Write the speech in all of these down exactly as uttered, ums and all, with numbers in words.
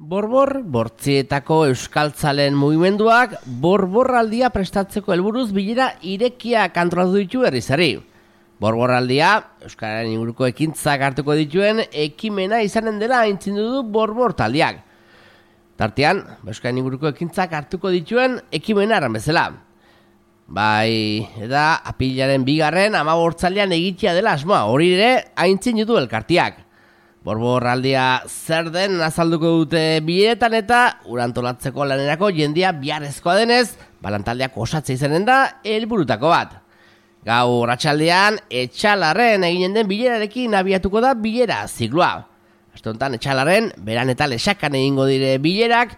Borbor, bortzietako euskaltzalen mugimenduak borborraldia prestatzeko helburuz bilera irekiak antolatu ditu herrizari. Borborraldia, euskararen inguruko ekintzak hartuko dituen ekimena izanen dela aintzindu du borbor taldeak. Tartean, euskararen inguruko ekintzak hartuko dituen ekimena eran bezala. Bai, eta apilaren bigarren hamabost egitea dela asmoa, hori ere aintzindu du elkartiak. Borborraldia zer den azalduko dute bileretan eta urantolatzeko lanerako jendia biharrezkoa denez, balantaldeak osatzea izanen da helburutako bat. Gaur arratsaldean Etxalarren eginen den bilerarekin abiatuko da bilera zikloa. Aste honetan Etxalarren beran eta Lesakan egingo dire bilerak,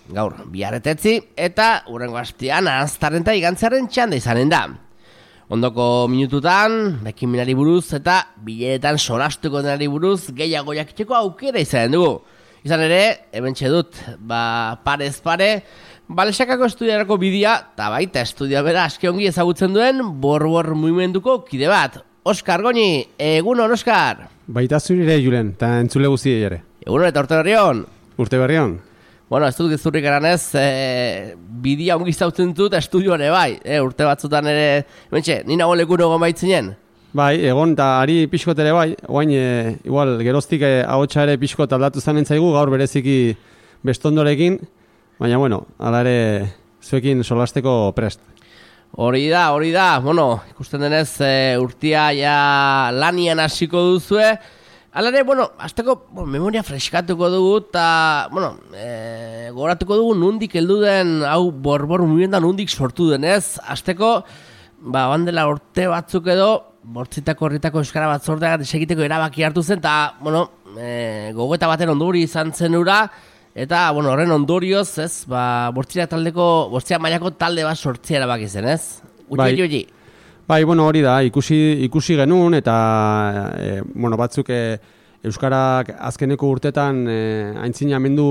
gaur biharretetzi eta hurrengo astean Aranztarren eta Igantzarren txanda izanen da. Ondoko minututan, ekimenari buruz eta bileretan solastuko denari buruz gehiago jakiteko aukera izanen dugu. Izan ere, hementxe dut, ba, parez pare, Balesakako estudiarako bidea, eta baita estudia bera askiongi ezagutzen duen borbor mugimenduko kide bat. Oskar Goñi, egunon Oskar! Baita zurire, Julen, eta entzule guzti ere. Egunon eta urte berrion? Urte berrion. Bueno, ez dut gezurrik eranez, e, bidea ongi zautzen dut estudioan bai, e, urte batzutan ere, mentxe, nina golekun egon baitzinen? Bai, egon eta ari pixkot ere bai, oain, e, igual, geroztik e, ahotsa ere pixkot aldatu zanen zaigu, gaur bereziki bestondorekin, baina, bueno, ala ere zuekin solasteko prest. Hori da, hori da, bueno, ikusten denez e, urtia ja lanian hasiko duzue. Hala ere, bueno, azteko bueno, memoria freskatuko dugu eta, bueno, e, goratuko dugu nundik heldu den, hau borbor mugimenduan nundik sortu denez. Azteko, ba, bandela urte batzuk edo, bortzitako horretako euskara batzordea desegiteko erabaki hartu zen, eta, bueno, e, gogoeta baten ondori izan zen ura, eta, bueno, horren ondorioz, ez, ba, bortzira taldeko, bortzira mailako talde bat sortzea erabaki zen, ez? Uti, bai. Uti, Bai, bueno, hori da, ikusi, ikusi genuen, eta, e, bueno, batzuk e, euskarak azkeneko urtetan e, aintzinamendu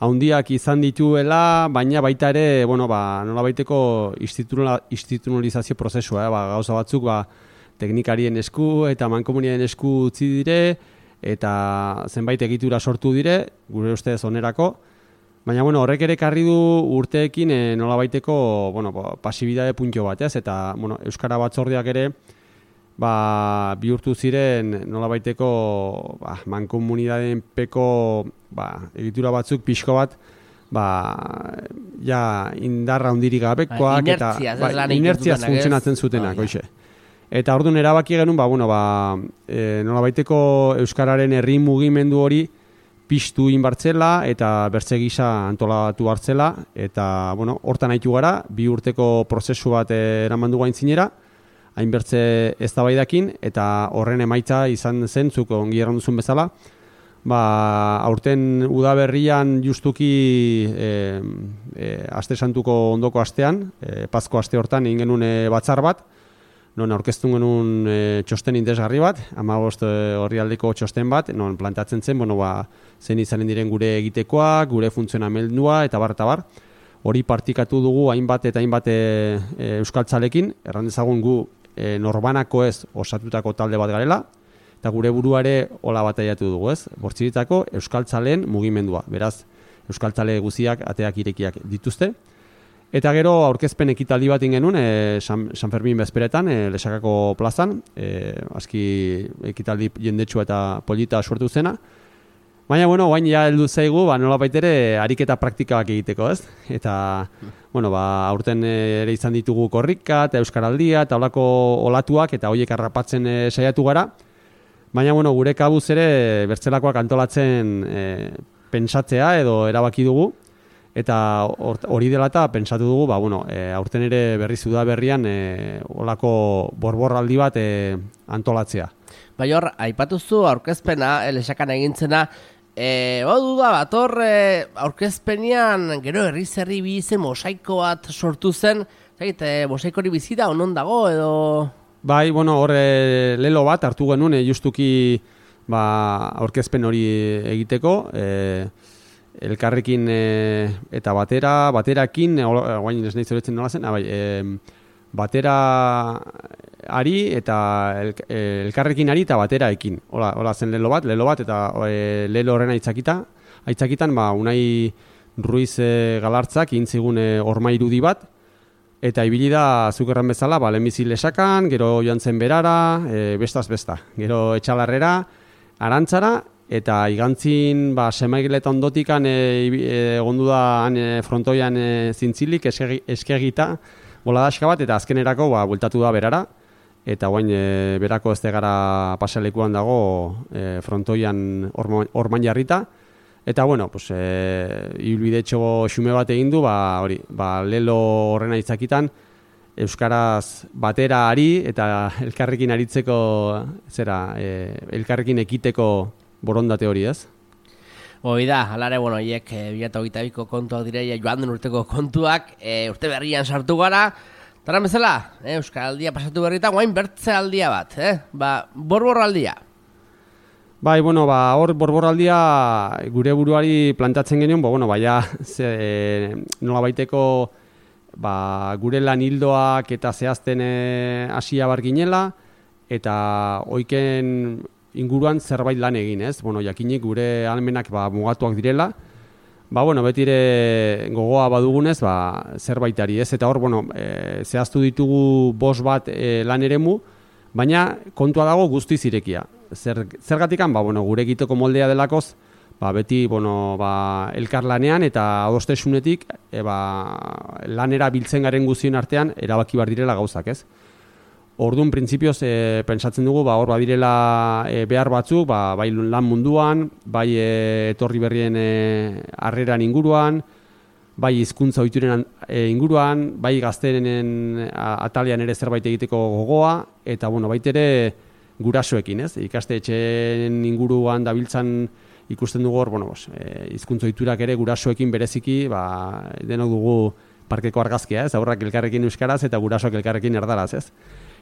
haundiak izan dituela, baina baita ere, bueno, ba, nola baiteko instituzionalizazio prozesua, eh, ba, gauza batzuk, ba, teknikarien esku eta mankomunien esku utzi dire, eta zenbait egitura sortu dire, gure ustez onerako. Baina, bueno, horrek ere karri du urteekin e, nola baiteko, bueno, pasibidade puntio bat, ez? Eta, bueno, euskara batzordeak ere, ba, bihurtu ziren nola baiteko, ba, mankomunidadeen peko, ba, egitura batzuk pixko bat, ba, ja, indarra hundirik gabekoak, ba, eta, ba, inertziaz funtzionatzen zutenak, oh, oixe. Eta orduan erabaki genuen, ba, bueno, ba, e, nola baiteko euskararen herri mugimendu hori, piztu inbartzela eta bertze gisa antolatu hartzela eta bueno, hortan haitu gara, bi urteko prozesu bat eraman dugu aintzinera, hainbertze eztabaidakin eta horren emaitza izan zen zuk ongi erran duzun bezala. Ba, aurten udaberrian justuki e, e, aste santuko ondoko astean, e, Pasko aste hortan egin genuen e, batzar bat, non aurkeztu genuen e, txosten interesgarri bat, hamabost orrialdeko txosten bat, non plantatzen zen, bueno, ba, zen izanen diren gure egitekoak, gure funtzionamendua, eta bar, eta bar. Hori partikatu dugu hainbat eta hainbat e, e, euskaltzalekin, erran dezagun gu e, norbanako ez osatutako talde bat garela, eta gure buruare hola bataiatu dugu, ez? Bortziritako euskaltzaleen mugimendua, beraz, euskaltzale guziak ateak irekiak dituzte. Eta gero aurkezpen ekitaldi bat ingenuen, e, San, San Fermin bezperetan, e, Lesakako plazan, e, aski ekitaldi jendetsua eta polita suertu zena. Baina, bueno, guain ja heldu zaigu, ba, nola baitere ariketa praktikak egiteko, ez? Eta, bueno, ba, aurten ere izan ditugu korrika, eta euskaraldia, eta olako olatuak, eta horiek harrapatzen e, saiatu gara. Baina, bueno, gure kabuz ere bertzelakoak antolatzen e, pentsatzea edo erabaki dugu. Eta hori dela eta pentsatu dugu, ba, bueno, e, aurten ere berriz udaberrian e, olako borborraldi bat e, antolatzea. Bai hor, aipatuzu aurkezpena, Lesakan egintzena, e, ba, duda bat, hor e, aurkezpenean gero herri zerri bizen mosaiko bat sortu zen, zait, e, mosaiko hori bizida onon dago edo... Bai, bueno, hor e, lelo bat hartu genuen, e, justuki ba, aurkezpen hori egiteko, e, elkarrekin e, eta batera, baterakin, guain ez nahi zoretzen nola zen, abai, e, batera ari eta el, elkarrekin ari eta bateraekin. Hola, hola zen lelo bat, lelo bat eta e, lelo horrena itzakita, aitzakitan, ba, Unai Ruiz e, Galartzak intzigun e, orma irudi bat, eta ibili da zukerran bezala, ba, lehenbizi Lesakan, gero joan zen Berara, e, bestaz besta, gero Etxalarrera, Arantzara, eta igantzin ba, Semaigeleta ondotikan egondu e, da e, frontoian e, zintzilik, eskegi, eskegita, boladaska bat, eta azkenerako ba, bueltatu da Berara, eta guain e, berako ez gara pasalekuan dago e, frontoian orman, orman jarrita. Eta bueno, pues, e, ibilbidetxo xume bat egin du, ba, hori, ba, lelo horrena itzakitan, euskaraz batera ari eta elkarrekin aritzeko, zera, e, elkarrekin ekiteko borondate hori, ez? Hoi da, alare, bueno, hiek e, bi mila hogeita biko kontuak direia joan den urteko kontuak, e, urte berrian sartu gara, taran bezala, e, Euskaraldia pasatu berrita, guain bertze aldia bat, eh? Ba, borboraldia. Bai, bueno, ba, hor borboraldia gure buruari plantatzen genuen, ba, bueno, baina ze, e, nola baiteko ba, gure lan hildoak eta zehazten hasia bar ginela, eta oiken inguruan zerbait lan egin, ez? Bueno, jakinik gure almenak ba, mugatuak direla, ba, bueno, betire gogoa badugunez, ba, zerbaitari, ez? Eta hor, bueno, e, zehaztu ditugu bost bat e, lan eremu, baina kontua dago guztiz irekia. Zer, zergatikan, ba, bueno, gure egiteko moldea delakoz, ba, beti bueno, ba, elkarlanean eta adostesunetik e, ba, lanera biltzen garen guztien artean erabaki bar direla gauzak, ez? Orduan, printzipioz, e, pentsatzen dugu, ba, hor badirela e, behar batzuk, ba, bai lan munduan, bai e, etorri berrien e, harreran inguruan, bai hizkuntza ohituren e, inguruan, bai gaztenen atalean ere zerbait egiteko gogoa, eta bueno, baitere gurasoekin, ez? Ikastetxeen inguruan dabiltzan ikusten dugu hor, bueno, e, hizkuntza ohiturak ere gurasoekin bereziki, ba, denok dugu parkeko argazkia, ez? Aurrak elkarrekin euskaraz eta gurasoak elkarrekin erdaraz, ez?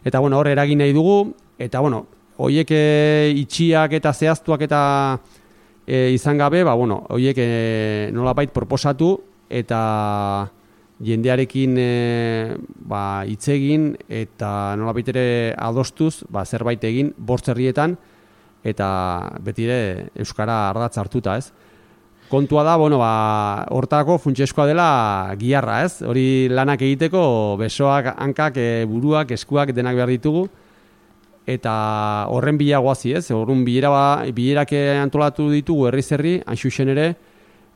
Eta bueno, hor eragin nahi dugu, eta bueno, hoiek e, itxiak eta zehaztuak eta e, izan gabe, ba, bueno, hoiek e, nolabait proposatu, eta jendearekin e, ba, hitz egin eta nolabait ere adostuz ba, zerbait egin bost herrietan eta betire euskara ardatz hartuta, ez? Kontua da, bueno, ba, hortako funtsezkoa dela giharra, ez? Hori lanak egiteko besoak, hankak, e, buruak, eskuak denak behar ditugu eta horren bila goazi, ez? Horren bilera ba, bilerak antolatu ditugu herriz herri, hain zuzen ere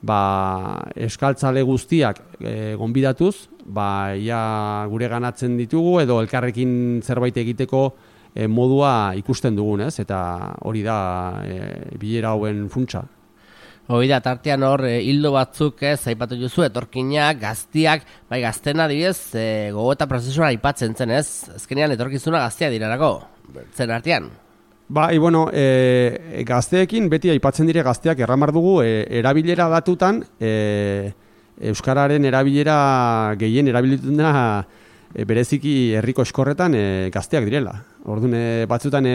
ba, euskaltzale guztiak e, gonbidatuz, ba, ia gure ganatzen ditugu edo elkarrekin zerbait egiteko e, modua ikusten dugun, ez? Eta hori da e, bilera hauen funtsa. Hoi da, tartean hor, e, hildo batzuk, ez, aipatu duzu, etorkinak, gaztiak, bai, gaztena adibidez, e, gogo eta prozesua aipatzen zen, ez? Azkenean etorkizuna gaztia dirarako, zen artean. Bai, bueno, e, gazteekin beti aipatzen dire gazteak erramar dugu e, erabilera datutan e, euskararen erabilera gehien erabilitzen da e, bereziki herriko eskorretan e, gazteak direla. Orduan e, batzutan e,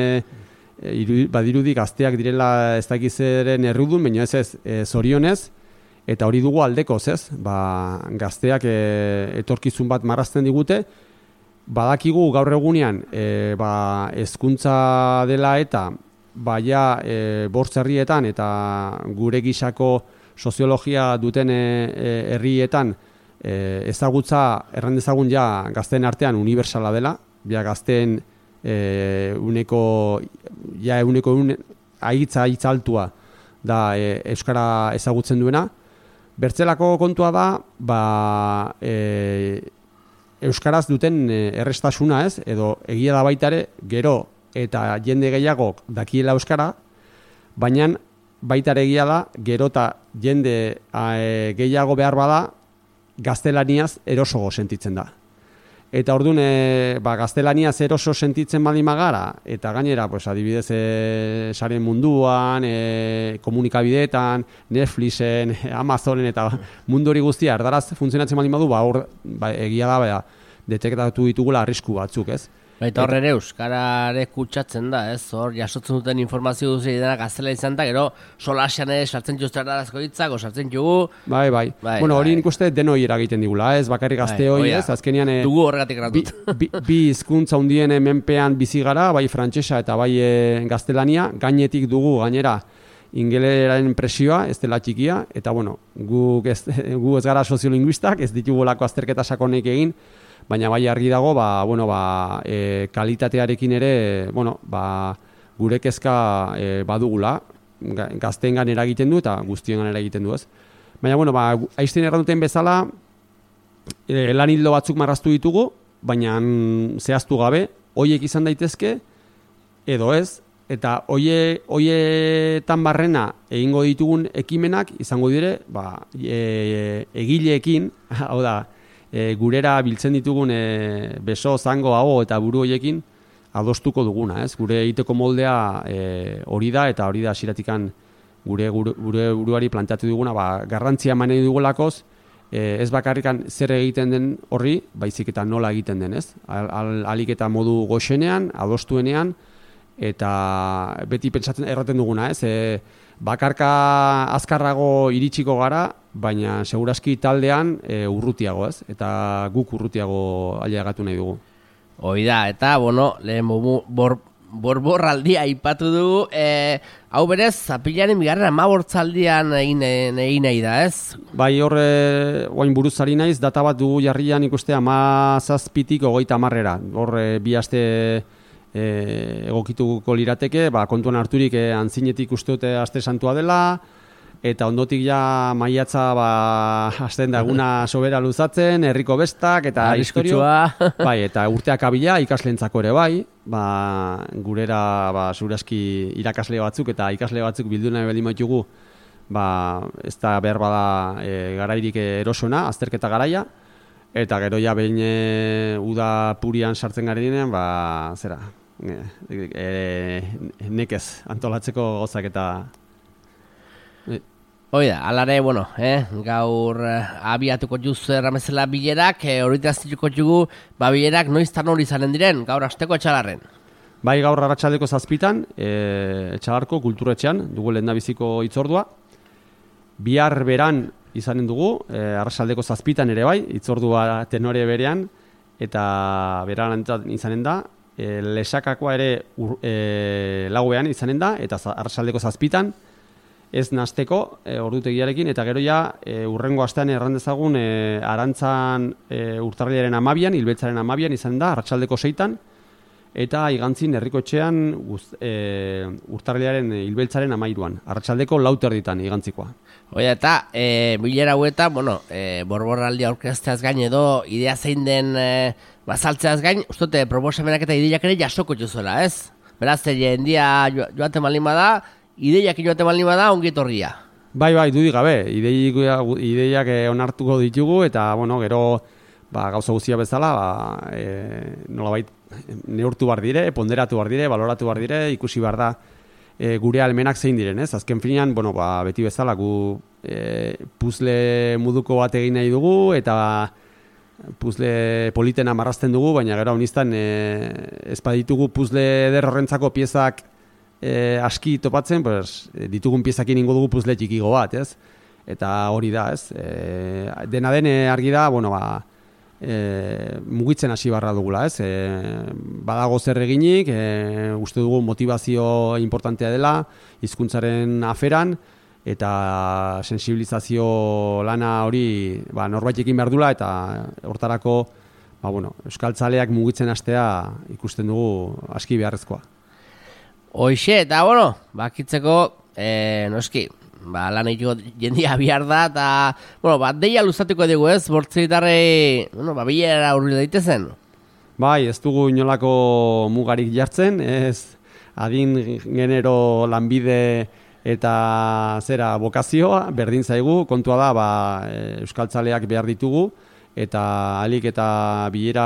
e, iru, badirudi gazteak direla ez dakizeren errudun, baina ez ez e, zorionez, eta hori dugu aldekoz, ez? Ba, gazteak e, etorkizun bat marrazten digute, badakigu gaur egunean e, ba, hezkuntza dela eta baia e, bortz herrietan eta gure gisako soziologia duten e, e, herrietan e, ezagutza erran dezagun ja gazteen artean unibertsala dela, ja gazteen e, uneko ja uneko un, aitza aitza altua da e, euskara ezagutzen duena. Bertzelako kontua da, ba, e, euskaraz duten errestasuna, ez? Edo egia da baita ere, gero eta jende gehiagok dakiela euskara, baina baita ere egia da, gero eta jende e, gehiago behar bada gaztelaniaz erosogo sentitzen da. Eta orduan, e, ba, gaztelaniaz eroso sentitzen baldin magara, eta gainera, pues, adibidez, e, saren munduan, e, komunikabideetan, Netflixen, Amazonen, eta mundu hori guztia, erdaraz funtzionatzen baldin badu, ba, hor, ba, egia da, ba, detektatu ditugula arrisku batzuk, ez? Baita horre ere, euskarare kutsatzen da, ez? Hor, jasotzen duten informazio duzi dena gaztela izan da, gero solasean ere sartzen juzten darazko hitzak, sartzen jugu. Bai, bai. bai bueno, hori nik uste denoi eragiten digula, ez? Bakarrik gazte hori, ez? Azkenian, dugu horregatik eratut. Bi, bi, bi hizkuntza hundien menpean bizi gara, bai frantsesa eta bai e, gaztelania, gainetik dugu gainera ingeleraren presioa, ez dela txikia, eta bueno, gu ez, gu ez gara soziolinguistak, ez ditugu lako azterketa sakonek egin, baina bai argi dago, ba, bueno, ba, e, kalitatearekin ere, bueno, ba, gure kezka e, badugula, gazteengan eragiten du eta guztiengan eragiten du, ez. Baina, bueno, ba, Einstein erranduten bezala, e, lan hildo batzuk marraztu ditugu, baina zehaztu gabe, hoiek izan daitezke, edo ez, eta hoie, hoietan barrena egingo ditugun ekimenak izango dire, ba, e, egileekin, hau da, e, gurera biltzen ditugun e, beso, zango, hau eta buru hoiekin adostuko duguna, ez? Gure egiteko moldea e, hori da, eta hori da hasieratik gure, gure, gure buruari planteatu duguna, ba, garrantzia eman nahi dugulakoz, e, ez bakarrikan zer egiten den horri, baizik eta nola egiten den, ez? Al, al, alik eta modu goxenean, adostuenean, eta beti pentsatzen erraten duguna, ez? E, bakarka azkarrago iritsiko gara, baina segurazki taldean e, urrutiago, ez? Eta guk urrutiago ailegatu nahi dugu. Hoi da, eta, bueno, lehen bor, borborraldia aipatu dugu, e, hau berez, zapilaren bigarren amabortzaldian egin, egin nahi da, ez? Bai, horre, oain buruzari naiz, data bat dugu jarrian ikuste amazazpitik ogeita amarrera. Horre, bi aste e, egokituko lirateke, ba, kontuan harturik e, antzinetik uste dute aste santua dela, eta ondotik ja maiatza ba, hasten da eguna sobera luzatzen, herriko bestak, eta historio. Bai, eta urteak abila ikaslentzako ere bai, ba, gurera ba, zuraski irakasle batzuk eta ikasle batzuk bildu nahi baldin baitugu, ba, ez da behar bada e, garairik erosona, azterketa garaia, eta gero ja behin e, uda purian sartzen gari dinean, ba, zera, e, e, nekez antolatzeko gozak eta... Oida, alare, bueno, eh, gaur eh, abiatuko juz erramezela bilerak, eh, horita zituko jugu, ba bilerak noiztan hori izanen diren, gaur asteko etxalarren. Bai, gaur arratsaldeko zazpitan, eh, etxalarko kulturetxean, dugu lehendabiziko hitzordua. Bihar beran izanen dugu, eh, arratsaldeko zazpitan ere bai, hitzordua tenore berean, eta beran izanen da, eh, lesakakoa ere ur, eh, lauean izanen da, eta arratsaldeko zazpitan, ez nasteko e, ordutegiarekin, eta gero ja e, urrengo astean errandezagun e, arantzan e, urtarrilaren amabian, hilbeltzaren amabian izan da, arratsaldeko seitan, eta igantzin herriko etxean e, urtarrilaren hilbeltzaren amairuan, arratsaldeko lauter ditan igantzikoa. Oia, eta e, bilera hueta, bueno, e, borborraldi aurkezteaz gain edo idea zein den e, bazaltzeaz gain, ustote proposamenak eta ideiak ere jasoko juzuela, ez? Beraz, jendia joaten malin bada, ideiak inoate baldin bada, ongi etorria. Bai, bai, dudik gabe, ideiak, ideiak onartuko ditugu, eta, bueno, gero ba, gauza guztia bezala, ba, e, nolabait neurtu bar dire, ponderatu bar dire, baloratu bar dire, ikusi bar da e, gure almenak zein diren, ez? Azken finean, bueno, ba, beti bezala, gu e, puzle muduko bat egin nahi dugu, eta puzle politena marrazten dugu, baina gero honistan e, ez baditugu puzle eder horrentzako piezak E, aski topatzen, pues, ditugun piezakin ingo dugu puzle txikigo bat, ez? Eta hori da, ez? E, dena den argi da, bueno, ba, e, mugitzen hasi barra dugula, ez? E, badago zer eginik, e, uste dugu motivazio importantea dela, hizkuntzaren aferan, eta sensibilizazio lana hori ba, norbaitekin behar dula, eta hortarako ba, bueno, euskaltzaleak mugitzen hastea ikusten dugu aski beharrezkoa. Hoixe, eta, bueno, bakitzeko, e, noski, ba, lan egiteko jendia bihar da, eta, bueno, bat deia luzatuko dugu ez, bortzitarrei, bueno, ba, bilera urri daitezen. Bai, ez dugu inolako mugarik jartzen, ez adin genero lanbide eta zera bokazioa, berdin zaigu, kontua da, ba, euskaltzaleak behar ditugu, eta alik eta bilera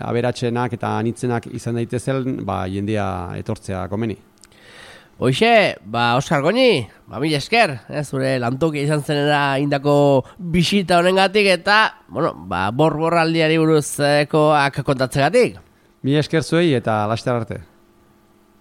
aberatsenak eta anitzenak izan daitezen, ba, jendea etortzea komeni. Hoixe, ba, Oskar Goñi, ba, mila esker, eh, zure lantoki izan zenera indako bisita honengatik, eta, bueno, ba, borborraldiari buruzkoak kontatzegatik. Mila esker zuei eta laster arte.